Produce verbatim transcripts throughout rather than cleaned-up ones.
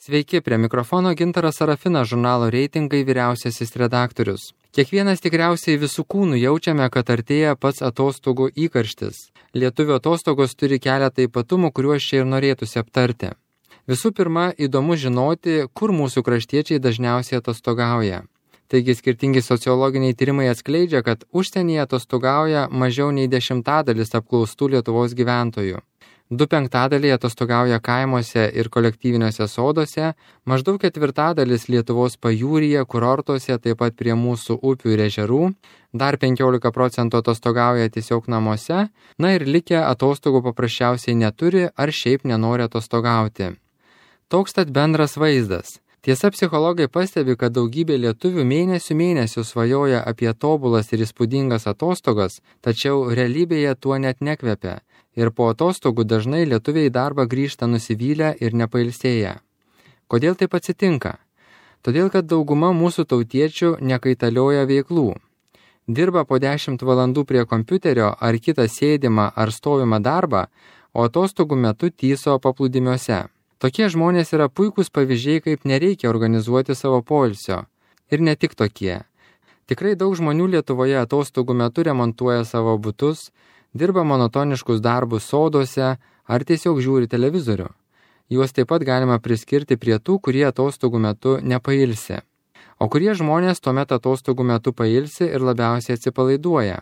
Sveiki, prie mikrofono Gintaras Sarafinas, žurnalo Reitingai vyriausiasis redaktorius. Kiekvienas tikriausiai visų kūnų jaučiame, kad artėja pats atostogų įkarštis. Lietuvių atostogos turi keletą ypatumų, kuriuos čia ir norėtųsi aptarti. Visų pirma, įdomu žinoti, kur mūsų kraštiečiai dažniausiai atostogauja. Taigi skirtingi sociologiniai tyrimai atskleidžia, kad užsienyje atostogauja mažiau nei dešimtadalis apklaustų Lietuvos gyventojų. Du penktadaliai atostogauja kaimuose ir kolektyviniuose soduose, maždaug ketvirtadalis Lietuvos pajūryje, kurortuose, taip pat prie mūsų upių ir ežerų, dar penkiolika procentų atostogauja tiesiog namuose, na ir likę atostogų paprasčiausiai neturi ar šiaip nenori atostogauti. Toks tad bendras vaizdas. Tiesa, psichologai pastebi, kad daugybė lietuvių mėnesių mėnesių svajoja apie tobulas ir įspūdingas atostogas, tačiau realybėje tuo net nekvepia. Ir po atostogų dažnai lietuviai į darbą grįžta nusivylę ir nepailsėję. Kodėl taip atsitinka? Todėl, kad dauguma mūsų tautiečių nekaitalioja veiklų. Dirba po dešimt valandų prie kompiuterio ar kitą sėdimą ar stovimą darbą, o atostogų metu tyso paplūdimiuose. Tokie žmonės yra puikūs pavyzdžiai, kaip nereikia organizuoti savo poilsio. Ir ne tik tokie. Tikrai daug žmonių Lietuvoje atostogų metu remontuoja savo butus, dirba monotoniškus darbus soduose ar tiesiog žiūri televizorių. Juos taip pat galima priskirti prie tų, kurie atostogų metu nepailsi. O kurie žmonės tuomet atostogų metu pailsi ir labiausiai atsipalaiduoja.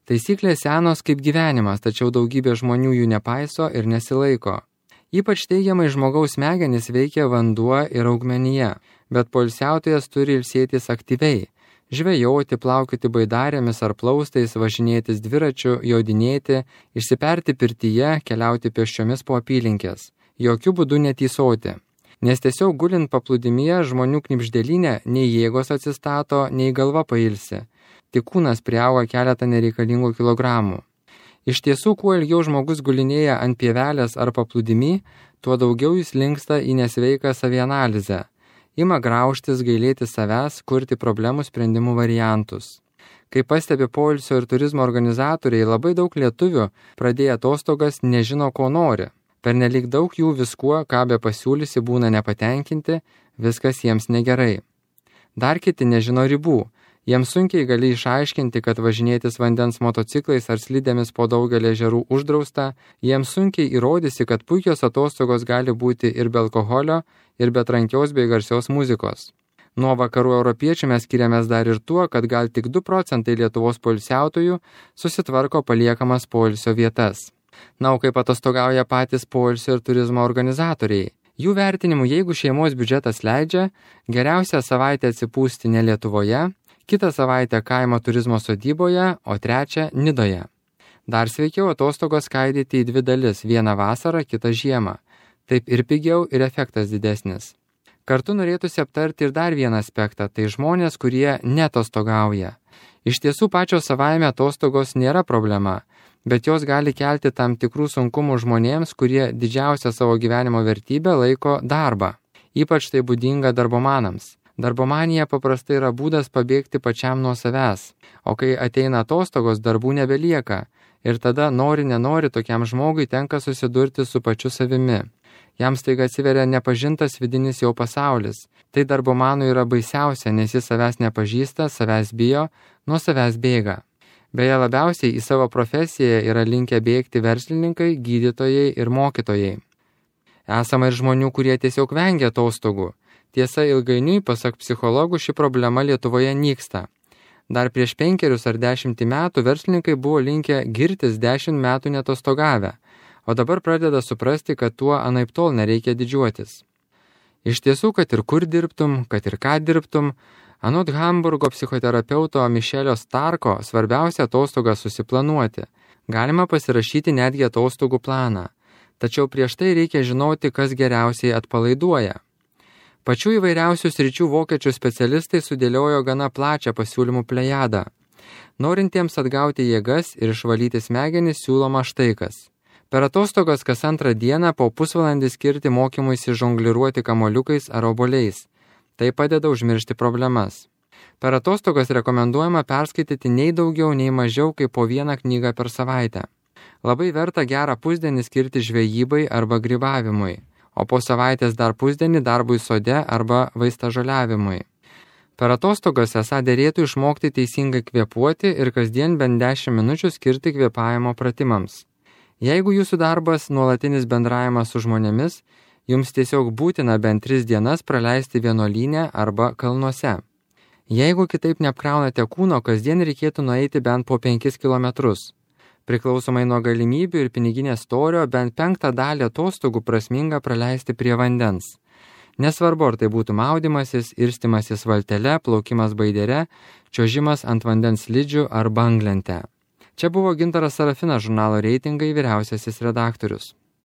Taisyklės senos kaip gyvenimas, tačiau daugybė žmonių jų nepaiso ir nesilaiko. Ypač teigiamai žmogaus smegenys veikia vanduo ir augmenija, bet poilsiautojas turi ilsėtis aktyviai. Žvejoti, plaukioti baidarėmis ar plaustais, važinėtis dviračiu, jodinėti, išsiperti pirtyje, keliauti pėsčiomis po apylinkės. Jokių būdų netysoti. Nes tiesiog gulint paplūdimyje žmonių knibždėlinė nei jėgos atsistato, nei galva pailsi. Tik kūnas priauga keletą nereikalingų kilogramų. Iš tiesų, kuo ilgiau žmogus gulinėja ant pievelės ar paplūdimy, tuo daugiau jis linksta į nesveiką savianalizę. Ima graužtis, gailėti savęs, kurti problemų sprendimų variantus. Kaip pastebi poilsio ir turizmo organizatoriai, labai daug lietuvių pradėję atostogas nežino, ko nori. Pernelyg daug jų viskuo, ką be pasiūlysi, būna nepatenkinti, viskas jiems negerai. Dar kiti nežino ribų. Jiems sunkiai gali išaiškinti, kad važinėtis vandens motociklais ar slidėmis po daugelį ežerų uždrausta, jiems sunkiai įrodysi, kad puikios atostogos gali būti ir be alkoholio, ir be trankios bei garsios muzikos. Nuo vakarų europiečių mes skiriamės dar ir tuo, kad gal tik du procentai Lietuvos poilsiautojų susitvarko paliekamas poilsio vietas. Na, o kaip atostogauja patys poilsio ir turizmo organizatoriai? Jų vertinimu, jeigu šeimos biudžetas leidžia, geriausia savaitę atsipūsti ne Lietuvoje, kitą savaitę kaimo turizmo sodyboje, o trečią Nidoje. Dar sveikiau atostogos skaidyti į dvi dalis, vieną vasarą, kitą žiemą. Taip ir pigiau, ir efektas didesnis. Kartu norėtųsi aptarti ir dar vieną aspektą, tai žmonės, kurie netostogauja. Iš tiesų pačios savaime atostogos nėra problema, bet jos gali kelti tam tikrų sunkumų žmonėms, kurie didžiausią savo gyvenimo vertybę laiko darbą. Ypač tai būdinga darbomanams. Darbomanija paprastai yra būdas pabėgti pačiam nuo savęs, o kai ateina atostogos, darbų nebelieka ir tada nori nenori tokiam žmogui tenka susidurti su pačiu savimi. Jam staiga atsiveria nepažintas vidinis jau pasaulis. Tai darbomanui yra baisiausia, nes jis savęs nepažįsta, savęs bijo, nuo savęs bėga. Beje, labiausiai į savo profesiją yra linkę bėgti verslininkai, gydytojai ir mokytojai. Esama ir žmonių, kurie tiesiog vengia atostogų. Tiesa, ilgainiui, pasak psichologų, ši problema Lietuvoje nyksta. Dar prieš penkerius ar dešimtį metų verslininkai buvo linkę girtis dešimt metų netostogavę, o dabar pradeda suprasti, kad tuo anaiptol nereikia didžiuotis. Iš tiesų, kad ir kur dirbtum, kad ir ką dirbtum, anot Hamburgo psichoterapeuto Mišelio Starko svarbiausia atostogą susiplanuoti. Galima pasirašyti netgi atostogų planą. Tačiau prieš tai reikia žinoti, kas geriausiai atpalaiduoja. Pačių įvairiausių sričių vokiečių specialistai sudėliojo gana plačią pasiūlymų plejadą. Norintiems atgauti jėgas ir išvalyti smegenis siūloma štai kas. Per atostogas kas antrą dieną po pusvalandį skirti mokymuisi žongliruoti kamoliukais ar obuoliais. Tai padeda užmiršti problemas. Per atostogas rekomenduojama perskaityti nei daugiau, nei mažiau kaip po vieną knygą per savaitę. Labai verta gerą pusdienį skirti žvejybai arba grybavimui. o po savaitės dar pusdienį darbui sode arba vaistažoliavimui. Per atostogas esą derėtų išmokti teisingai kvėpuoti ir kasdien bent dešimt minučių skirti kvėpavimo pratimams. Jeigu jūsų darbas nuolatinis bendravimas su žmonėmis, jums tiesiog būtina bent tris dienas praleisti vienuolyne arba kalnuose. Jeigu kitaip neapkraunate kūno, kasdien reikėtų nueiti bent po penkis kilometrus. Priklausomai nuo galimybių ir piniginės storio, bent penktą dalį atostogų prasminga praleisti prie vandens. Nesvarbu, ar tai būtų maudymasis, irstimasis valtele, plaukimas baidere, čiuožimas ant vandens slidžių ar banglente. Čia buvo Gintaras Sarafinas, žurnalo Reitingai vyriausiasis redaktorius.